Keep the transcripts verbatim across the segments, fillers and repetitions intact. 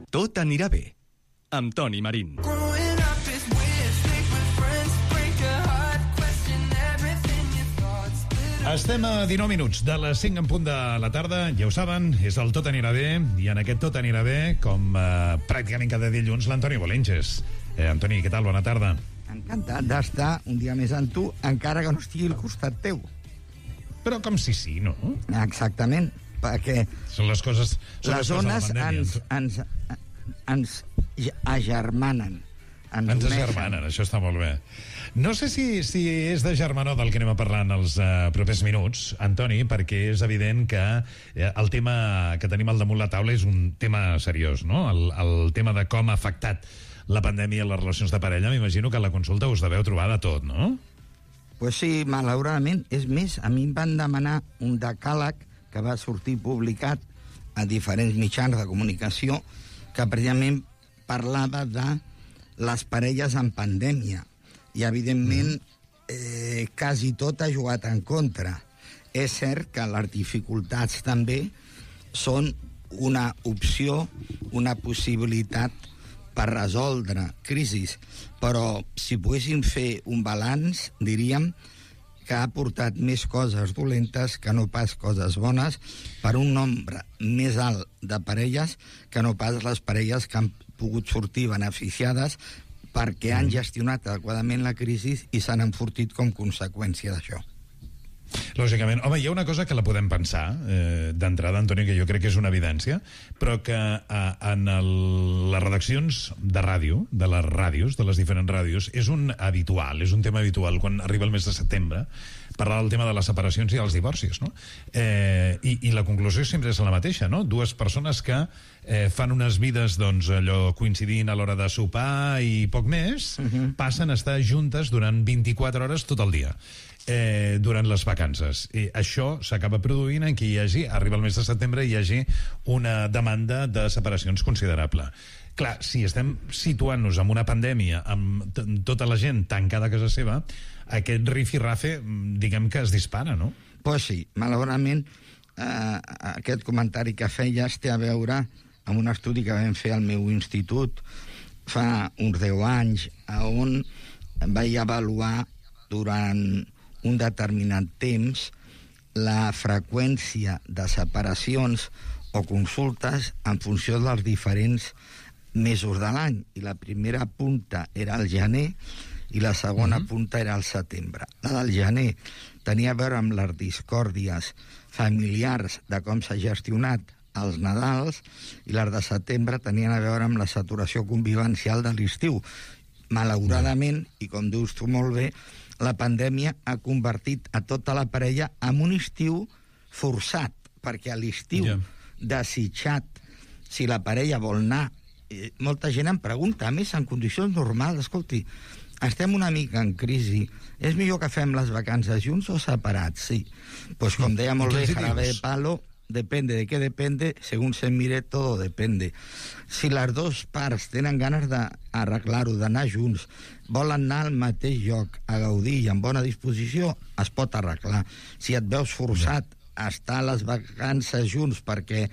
Tot anirà bé, amb Toni Marín. Estem a dinou minuts de les cinc en punt de la tarda, ja ho saben, és el Tot anirà bé, i en aquest Tot anirà bé, com eh, pràcticament cada dilluns, l'Antoni Bolenches. Eh, Antoni, què tal? Bona tarda. Encantat d'estar un dia més amb tu, encara que no estigui al costat teu. Però com si sí, no? Exactament, perquè Són les coses... Són les les zones coses de la ens, pandèmia. ens, ens agermanen. Ens, Ens uneixen. agermanen, això està molt bé. No sé si, si és de germanor del que anem a parlar en els uh, propers minuts, Antoni, perquè és evident que eh, el tema que tenim al damunt la taula és un tema seriós, no? El, el tema de com ha afectat la pandèmia a les relacions de parella. M'imagino que a la consulta us deveu trobar de tot, no? Pues sí, malauradament. És més, a mi em van demanar un decàleg que va sortir publicat a diferents mitjans de comunicació que precisament parlava de les parelles en pandèmia. I, evidentment, eh, quasi tot ha jugat en contra. És cert que les dificultats també són una opció, una possibilitat per resoldre crisis. Però si poguéssim fer un balanç, diríem que ha portat més coses dolentes que no pas coses bones per un nombre més alt de parelles que no pas les parelles que han pogut sortir beneficiades perquè han gestionat adequadament la crisi i s'han enfortit com conseqüència d'això. Lògicament. Home, hi ha una cosa que la podem pensar eh, d'entrada, Antoni, que jo crec que és una evidència, però que eh, en el, les redaccions de ràdio, de les ràdios, de les diferents ràdios, és un habitual, és un tema habitual quan arriba el mes de setembre, parlar del tema de les separacions i dels divorcis, no? Eh, i, i la conclusió sempre és la mateixa, no? Dues persones que eh, fan unes vides, doncs, allò coincidint a l'hora de sopar i poc més, uh-huh. passen a estar juntes durant vint-i-quatre hores tot el dia. Eh, durant les vacances. I això s'acaba produint en què hi hagi, arriba el mes de setembre, hi hagi una demanda de separacions considerable. Clar, si estem situant-nos en una pandèmia amb t- tota la gent tancada a casa seva, aquest rifirrafe, diguem que es dispara, no? Pues sí, malauradament, eh, aquest comentari que feies té a veure amb un estudi que vam fer al meu institut fa uns deu anys, on vaig avaluar durant un determinat temps la freqüència de separacions o consultes en funció dels diferents mesos de l'any. I la primera punta era el gener i la segona uh-huh. punta era el setembre. La del gener tenia a veure amb les discòrdies familiars de com s'ha gestionat els Nadals i les de setembre tenien a veure amb la saturació convivencial de l'estiu. Malauradament, i com dius tu molt bé, la pandèmia ha convertit a tota la parella en un estiu forçat, perquè a l'estiu yeah. desitjat, si la parella vol anar, eh, molta gent em pregunta, a més, en condicions normals, escolti, estem una mica en crisi, és millor que fem les vacances junts o separats? Sí. Pues com deia molt bé Jarabe de Palo, depende de què depende, según se mire, todo depende. Si les dues parts tenen ganes d'arreglar-ho, d'anar junts, volen anar al mateix lloc, a gaudir i amb bona disposició, es pot arreglar. Si et veus forçat a estar a les vacances junts perquè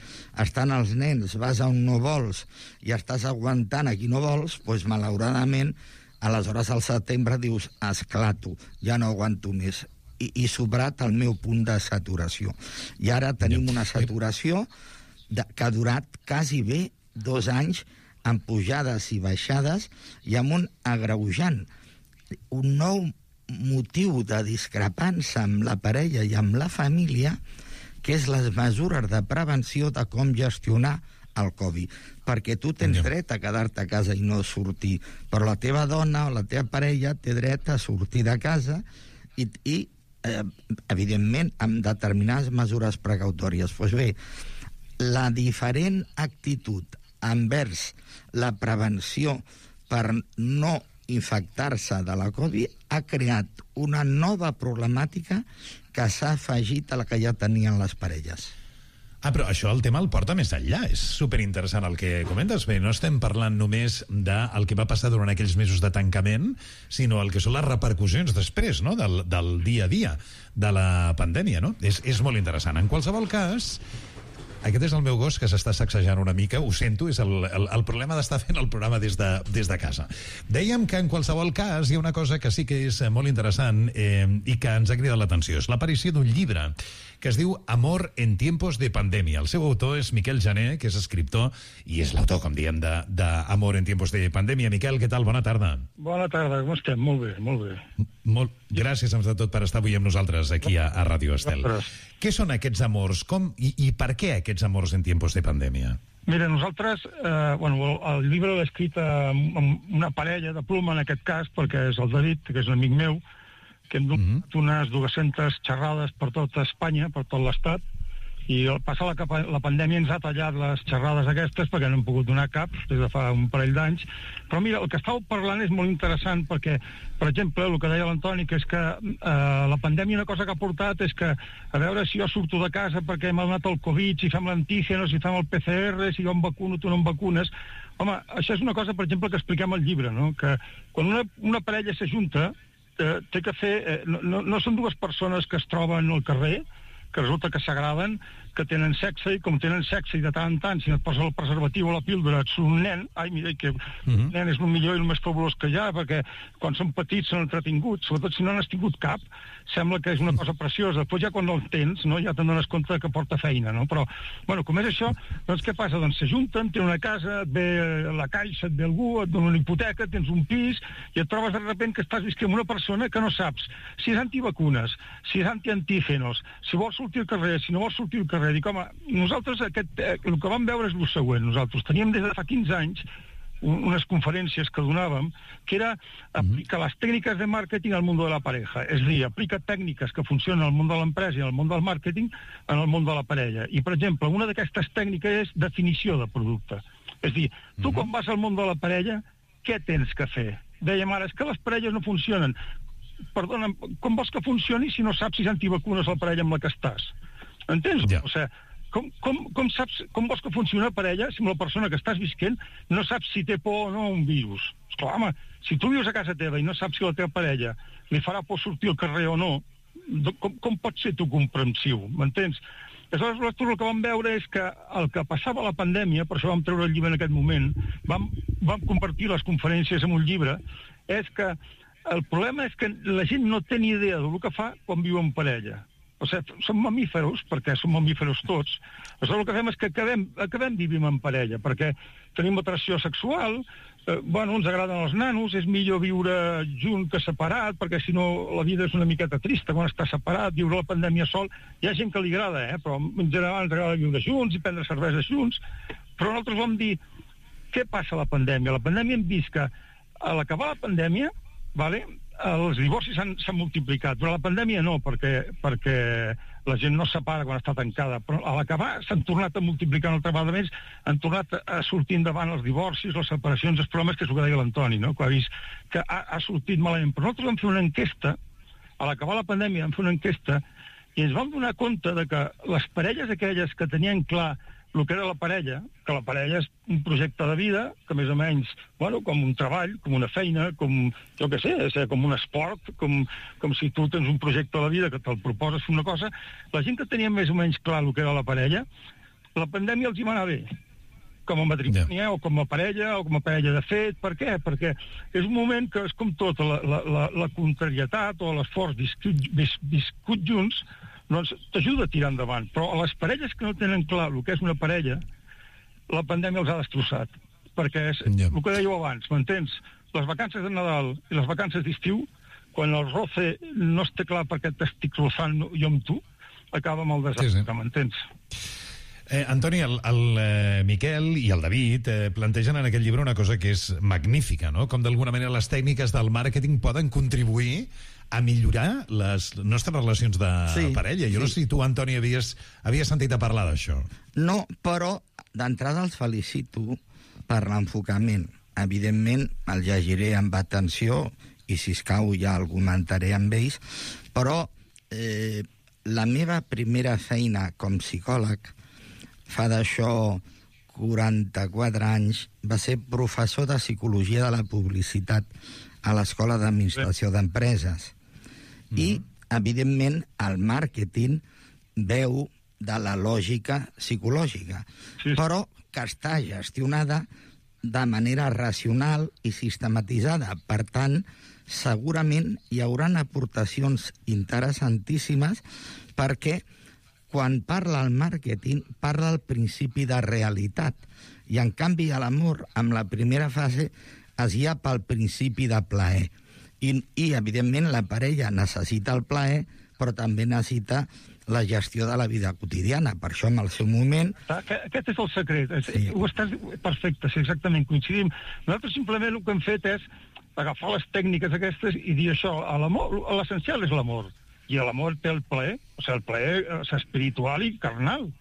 estan els nens, vas a on no vols i estàs aguantant a qui no vols, doncs malauradament, aleshores al setembre dius, esclato, ja no aguanto més. I, i sobrat el meu punt de saturació. I ara tenim una saturació de, que ha durat quasi bé dos anys amb pujades i baixades i amb un agreujant. Un nou motiu de discrepància amb la parella i amb la família, que és les mesures de prevenció de com gestionar el Covid. Perquè tu tens dret a quedar-te a casa i no sortir, però la teva dona o la teva parella té dret a sortir de casa i, i Eh, evidentment, amb determinades mesures precautòries. Doncs bé, la diferent actitud envers la prevenció per no infectar-se de la Covid ha creat una nova problemàtica que s'ha afegit a la que ja tenien les parelles. Ah, però això el tema el porta més enllà. És superinteressant el que comentes. Bé, no estem parlant només del que va passar durant aquells mesos de tancament, sinó el que són les repercussions després, no?, del, del dia a dia de la pandèmia, no? És, és molt interessant. En qualsevol cas, Aquest és el meu gos que s'està sacsejant una mica, ho sento, és el, el, el problema d'estar fent el programa des de, des de casa. Dèiem que en qualsevol cas hi ha una cosa que sí que és molt interessant eh, i que ens ha cridat l'atenció. És l'aparició d'un llibre que es diu Amor en tiempos de pandèmia. El seu autor és Miquel Jané, que és escriptor i és l'autor, com diem, d'Amor en tiempos de pandèmia. Miquel, què tal? Bona tarda. Bona tarda, com estem? Molt bé, molt bé. Molt, gràcies, de tot, per estar avui amb nosaltres aquí a, a Ràdio Estel. Què són aquests amors? Com, i, I per què aquests amors en tiempos de pandèmia? Mira, nosaltres, eh, bueno, el llibre l'he escrit amb, amb una parella de pluma, en aquest cas, perquè és el David, que és un amic meu, que hem donat mm-hmm. unes dues-centes xerrades per tota Espanya, per tot l'Estat, i al passar la, la pandèmia ens ha tallat les xerrades aquestes perquè no hem pogut donar cap des de fa un parell d'anys. Però mira, el que estàveu parlant és molt interessant perquè, per exemple, el que deia l'Antoni, que és que eh, la pandèmia una cosa que ha portat és que, a veure si jo surto de casa perquè m'ha donat el Covid, si fem l'antígeno, si fem el P C R, si jo em vacuno, tu no em vacunes. Home, això és una cosa, per exemple, que expliquem al llibre, no? Que quan una, una parella s'ajunta, eh, té que fer... Eh, no, no, no són dues persones que es troben al carrer, que resulta que s'agraden, que tenen sexe, i com tenen sexe i de tant en tant, si no et posa el preservatiu o la píldora, ets un nen, ai, mira, que uh-huh. nen és el millor i el més fabulós que hi ha, perquè quan són petits són entretinguts, sobretot si no n'has tingut cap, sembla que és una cosa preciosa. Després ja quan no el tens, no, ja te'n dones compte que porta feina, no? Però, bueno, com és això, doncs què passa? Doncs s'ajunten, tenen una casa, et ve la caixa, et ve algú, et dona una hipoteca, tens un pis, i et trobes de repente que estàs visquent amb una persona que no saps si és antivacunes, si és antiantígenos, si vols sortir al carrer, si no vols sortir al carrer. Dic, home, nosaltres aquest, eh, el que vam veure és el següent. Nosaltres teníem des de fa quinze anys unes conferències que donàvem, que era aplicar les tècniques de màrqueting al món de la pareja. És a dir, aplica tècniques que funcionen al món de l'empresa i al món del màrqueting en el món de la parella. I, per exemple, una d'aquestes tècniques és definició de producte. És a dir, tu quan vas al món de la parella, què tens que fer? Dèiem ara, és que les parelles no funcionen. Perdona, com vols que funcioni si no saps si és antivacunes la parella amb la que estàs? Entens? Ja. O sigui, com, com, com, saps, com vols que funcioni una parella si amb la persona que estàs visquent no saps si té por o no un virus? Esclar, home, si tu vius a casa teva i no saps si la teva parella li farà por sortir al carrer o no, com, com pots ser tu comprensiu? M'entens? Aleshores, nosaltres el que vam veure és que el que passava a la pandèmia, per això vam treure el llibre en aquest moment, vam, vam compartir les conferències en un llibre, és que el problema és que la gent no té ni idea del que fa quan viu en parella. O sigui, som mamíferos, perquè som mamíferos tots. Aleshores, el que fem és que acabem, acabem vivint en parella, perquè tenim atracció sexual, eh, bueno, ens agraden els nanos, és millor viure junt que separat, perquè si no la vida és una miqueta trista quan està separat, viure la pandèmia sol. Hi ha gent que li agrada, eh? Però en general ens agrada viure junts i prendre cerveses junts. Però nosaltres vam dir, què passa a la pandèmia? A la pandèmia hem vist que a l'acabar la pandèmia, vale, els divorcis s'han multiplicat. Durant la pandèmia no, perquè, perquè la gent no es separa quan està tancada, però a l'acabar s'han tornat a multiplicar una altra vegada més, han tornat a sortir endavant els divorcis, les separacions, els problemes, que és el que deia l'Antoni, no? Que ha vist que ha, ha sortit malament. Però nosaltres vam fer una enquesta, a l'acabar la pandèmia vam fer una enquesta, i ens vam donar compte de que les parelles aquelles que tenien clar el que era la parella, que la parella és un projecte de vida, que més o menys, bueno, com un treball, com una feina, com, jo què sé, és com un esport, com, com si tu tens un projecte de vida que te'l proposes fer una cosa, la gent que tenia més o menys clar el que era la parella, la pandèmia els hi va anar bé, com a matrimoni, yeah. o com a parella, o com a parella de fet. Per què? Perquè és un moment que és com tot, la, la, la, la contrarietat o l'esforç viscut, vis, viscut junts, doncs t'ajuda a tirar endavant. Però a les parelles que no tenen clar el que és una parella, la pandèmia els ha destrossat. Perquè és yeah. el que dèieu abans, m'entens? Les vacances de Nadal i les vacances d'estiu, quan el roce no es té clar perquè t'estic rozant jo amb tu, acaba amb el desastre, sí, sí. m'entens? Eh, Antoni, el, el eh, Miquel i el David eh, plantegen en aquest llibre una cosa que és magnífica, no? Com d'alguna manera les tècniques del màrqueting poden contribuir a millorar les nostres relacions de sí, parella. Jo sí. no sé si tu, Antoni, havies, havies sentit a parlar d'això. No, però d'entrada els felicito per l'enfocament. Evidentment, el llegiré amb atenció i, si escau, ja el comentaré amb ells, però eh, la meva primera feina com psicòleg, fa d'això quaranta-quatre anys, va ser professor de Psicologia de la Publicitat a l'Escola d'Administració d'Empreses. Mm. I, evidentment, el màrqueting veu de la lògica psicològica, sí. però que està gestionada de manera racional i sistematitzada. Per tant, segurament hi haurà aportacions interessantíssimes perquè quan parla el màrqueting parla el principi de realitat i en canvi a l'amor, amb la primera fase, es guia pel principi de plaer. I, i evidentment la parella necessita el plaer però també necessita la gestió de la vida quotidiana. Per això, en el seu moment... Aquest és el secret. Sí. Ho estàs... Perfecte, sí, exactament, coincidim. Nosaltres simplement el que hem fet és agafar les tècniques aquestes i dir això, a l'amor, l'essencial és l'amor. I l'amor té el plaer, o sigui, el plaer és espiritual i carnal.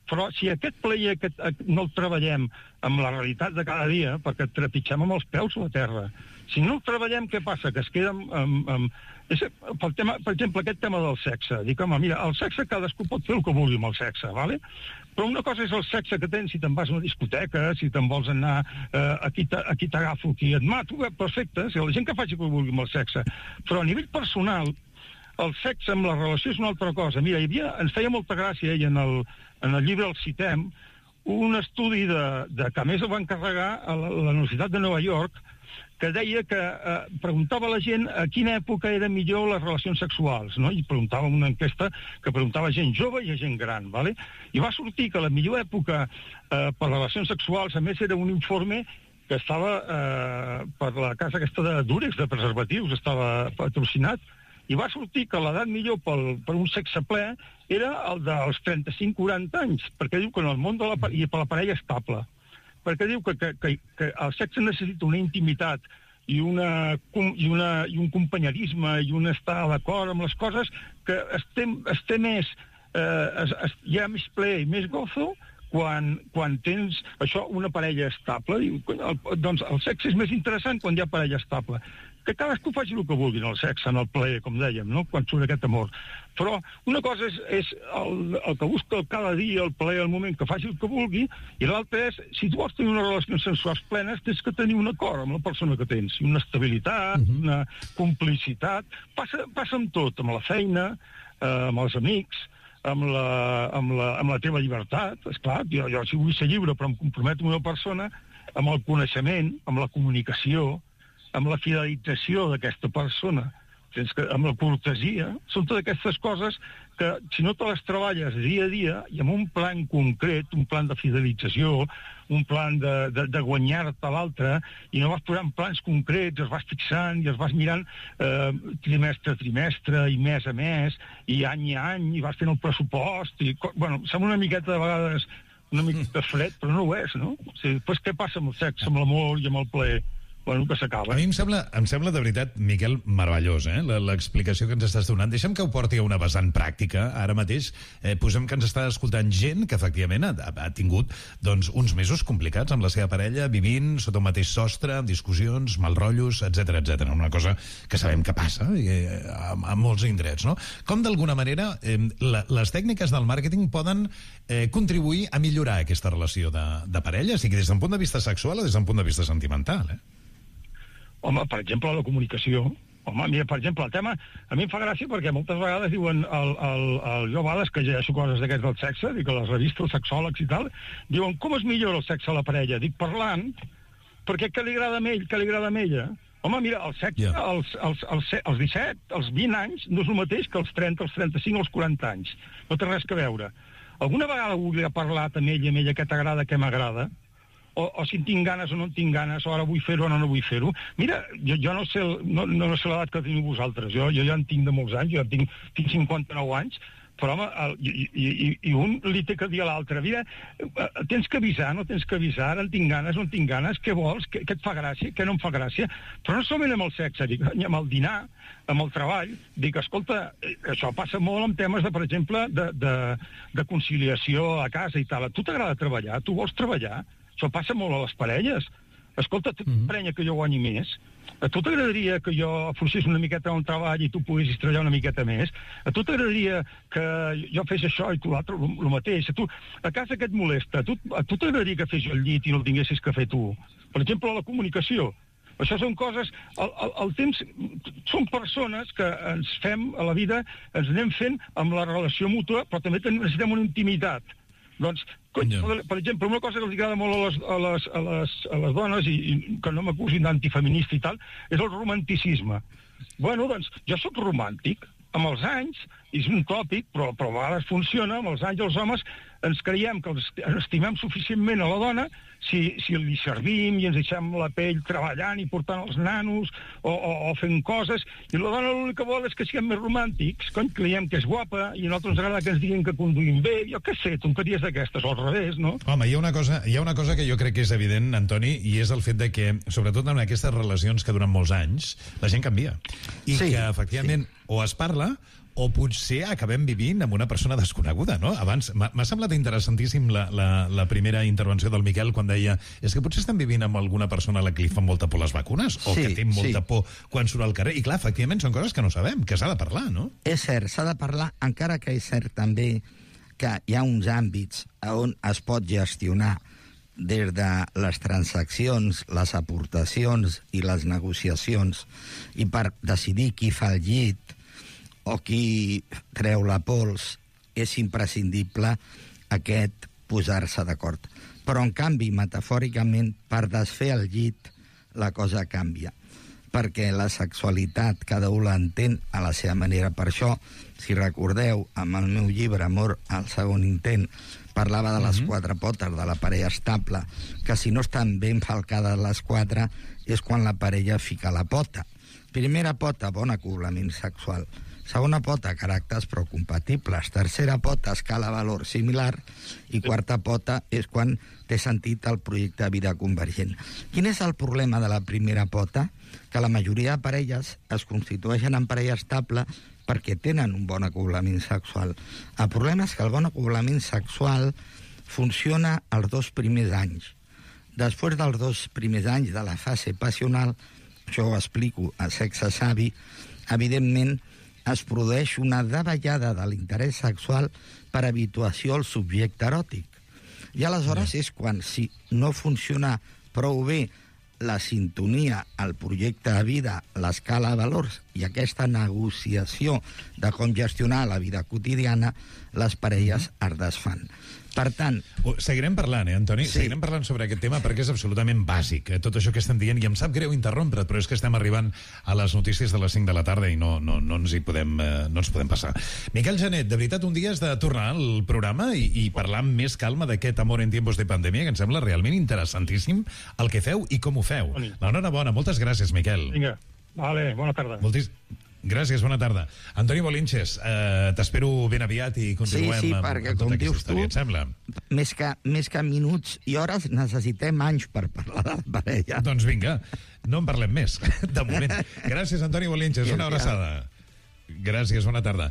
Però si aquest plaer aquest, no el treballem amb la realitat de cada dia, perquè trepitgem amb els peus a la terra, si no el treballem, què passa? Que es queda amb... amb, amb és, pel tema, per exemple, aquest tema del sexe. Dic, home, mira, el sexe cadascú pot fer el que vulgui amb el sexe, ¿vale? Però una cosa és el sexe que tens si te'n vas a una discoteca, si te'n vols anar eh, aquí t'agafo, aquí et mato, eh, perfecte, si la gent que faci el que vulgui amb el sexe. Però a nivell personal, el sexe amb la relació és una altra cosa. Mira, hi havia, ens feia molta gràcia, i en el, en el llibre el citem, un estudi de, de que a més el va encarregar a la, a la Universitat de Nova York, que deia que eh, preguntava a la gent a quina època eren millor les relacions sexuals, no? I preguntava una enquesta que preguntava a gent jove i a gent gran, ¿vale? I va sortir que la millor època eh, per relacions sexuals, a més, era un informe que estava eh, per la casa aquesta de Durex, de preservatius, estava patrocinat, i va sortir que l'edat millor pel, per un sexe ple era el dels trenta-cinc a quaranta anys, perquè diu que en el món de la, i per la parella estable, perquè diu que, que, que, que el sexe necessita una intimitat i, una, i, una, i un companyerisme i un estar d'acord amb les coses que es té, es té més, eh, es, es, hi ha més ple i més gozo quan, quan tens això, una parella estable. Diu, el, doncs el sexe és més interessant quan hi ha parella estable. Que cadascú faci el que vulgui en el sexe, en el plaer, com dèiem, no? Quan surt aquest amor. Però una cosa és, és el, el que busca cada dia, el plaer, el moment, que faci el que vulgui, i l'altra és, si tu vols tenir unes relacions sensuals plenes, tens que tenir un acord amb la persona que tens, una estabilitat, uh-huh. una complicitat. Passa, passa amb tot, amb la feina, eh, amb els amics, amb la, amb la, amb la teva llibertat. Esclar, jo, jo si vull ser lliure, però em comprometo amb una persona, amb el coneixement, amb la comunicació, amb la fidelització d'aquesta persona, amb la cortesia. Són totes aquestes coses que, si no te les treballes dia a dia, i amb un plan concret, un plan de fidelització, un plan de, de, de guanyar-te l'altre, i no vas posant plans concrets, es vas fixant i es vas mirant eh, trimestre a trimestre, i mes a mes, i any a any, i vas fent el pressupost, i, bueno, sembla una miqueta de vegades una miqueta fred, però no ho és, no? O sigui, després què passa amb el sexe, amb l'amor i amb el plaer? Bueno, que s'acaba. A mi em sembla, em sembla de veritat, Miquel, meravellós, eh? l'explicació que ens estàs donant. Deixa'm que ho porti a una vessant pràctica. Ara mateix eh, posem que ens està escoltant gent que efectivament ha, ha tingut doncs, uns mesos complicats amb la seva parella, vivint sota un mateix sostre, amb discussions, malrotllos, etcètera, etcètera. Una cosa que sabem que passa eh, a, a molts indrets, no? Com d'alguna manera eh, la, les tècniques del màrqueting poden eh, contribuir a millorar aquesta relació de, de parella, sigui des d'un punt de vista sexual o des d'un punt de vista sentimental, eh? Home, per exemple, la comunicació. Home, mira, per exemple, el tema... A mi em fa gràcia perquè moltes vegades diuen... El, el, el, jo a vegades que llegeixo coses d'aquests del sexe, dic a les revistes, els sexòlegs i tal, diuen, com es millora el sexe a la parella? Dic, parlant, perquè què li agrada a ell, què li agrada a ella? Home, mira, el sexe, yeah. als, als, als, als disset, als vint anys, no és el mateix que als trenta, als trenta-cinc, als quaranta anys. No té res que veure. Alguna vegada volia parlat amb ella, amb ella, què t'agrada, què m'agrada? O, o si en tinc ganes o no en tinc ganes, o ara vull fer-ho o no, no vull fer-ho. Mira, jo, jo no sé, no, no sé l'edat que teniu vosaltres, jo, jo ja en tinc de molts anys, jo tinc, tinc cinquanta-nou anys, però home, el, i, i, i un li té que dir a l'altre, mira, tens que avisar, no tens que avisar, ara en tinc ganes, no en tinc ganes, què vols, què, què et fa gràcia, què no em fa gràcia, però no solament amb el sexe, dic, amb el dinar, amb el treball, dic, escolta, això passa molt en temes, de, per exemple, de, de, de conciliació a casa i tal. A tu t'agrada treballar, tu vols treballar? Això passa molt a les parelles. Escolta, tu mm-hmm. t'emprenya que jo guanyi més? A tu t'agradaria que jo afluixés una miqueta un treball i tu poguessis treballar una miqueta més? A tu t'agradaria que jo fes això i tu l'altre el mateix? A tu, a casa què et molesta? A tu, a tu t'agradaria que fes jo el llit i no el tinguessis que fer tu? Per exemple, la comunicació. Això són coses... El, el, el temps... Són persones que ens fem a la vida, ens anem fent amb la relació mútua, però també necessitem una intimitat. Doncs, cony, per, per exemple, una cosa que els agrada molt a les, a les, a les, a les dones, i, i que no m'acusin d'antifeminista i tal, és el romanticisme. Bueno, doncs, jo sóc romàntic. Amb els anys, és un tòpic, però, però a vegades funciona, amb els anys els homes ens creiem que els estimem suficientment a la dona si, si li servim i ens deixem la pell treballant i portant els nanos o, o, o fent coses, i la dona l'únic que vol és que siguem més romàntics, cony, creiem que és guapa i a nosaltres ens agrada que ens diguin que conduïm bé, jo què sé, tonteries d'aquestes, o al revés, no? Home, hi ha una cosa, hi ha una cosa que jo crec que és evident, Antoni, i és el fet de que, sobretot en aquestes relacions que duren molts anys, la gent canvia. I sí, que, efectivament, sí. o es parla o potser acabem vivint amb una persona desconeguda, no? Abans, m'ha semblat interessantíssim la, la, la primera intervenció del Miquel quan deia és que potser estan vivint amb alguna persona a la que li fan molta por les vacunes o sí, que té molta sí. por quan surt al carrer. I clar, efectivament, són coses que no sabem, que s'ha de parlar, no? És cert, s'ha de parlar, encara que és cert també que hi ha uns àmbits on es pot gestionar des de les transaccions, les aportacions i les negociacions, i per decidir qui fa el llit o qui treu la pols, és imprescindible aquest posar-se d'acord. Però, en canvi, metafòricament, per desfer el llit, la cosa canvia. Perquè la sexualitat cada un l'entén a la seva manera. Per això, si recordeu, amb el meu llibre Amor al segon intent, parlava de les mm-hmm. quatre potes de la parella estable, que si no estan ben falcades les quatre, és quan la parella fica la pota. Primera pota, bon acoblament sexual. Segona pota, caràcters però compatibles. Tercera pota, escala valor similar. I quarta pota és quan té sentit el projecte de vida convergent. Quin és el problema de la primera pota? Que la majoria de parelles es constitueixen en parella estable perquè tenen un bon acoblament sexual. El problema és que el bon acoblament sexual funciona els dos primers anys. Després dels dos primers anys de la fase passional, això ho explico a Sexe Savi, evidentment es produeix una davallada de l'interès sexual per habituació al subjecte eròtic. I aleshores sí. és quan, si no funciona prou bé la sintonia, el projecte de vida, l'escala de valors i aquesta negociació de com gestionar la vida quotidiana, les parelles es desfan. Per tant... Seguirem parlant, eh, Antoni? Sí. Seguirem parlant sobre aquest tema perquè és absolutament bàsic, eh, tot això que estem dient, i em sap greu interrompre't, però és que estem arribant a les notícies de les cinc de la tarda i no, no, no, ens, hi podem, eh, no ens podem passar. Miquel Genet, de veritat, un dia has de tornar al programa i, i parlar amb més calma d'aquest Amor en tiempos de pandèmia, que em sembla realment interessantíssim el que feu i com ho feu. L'enhorabona, moltes gràcies, Miquel. Vinga, vale, bona tarda. Moltis... Gràcies, bona tarda. Antoni Bolinches, eh, t'espero ben aviat i continuem sí, sí, amb, perquè, amb tota com aquesta dius història, tu, et sembla? Més que, més que minuts i hores necessitem anys per parlar de la parella. Doncs vinga, no en parlem més, de moment. Gràcies, Antoni Bolinches, una abraçada. Gràcies, bona tarda.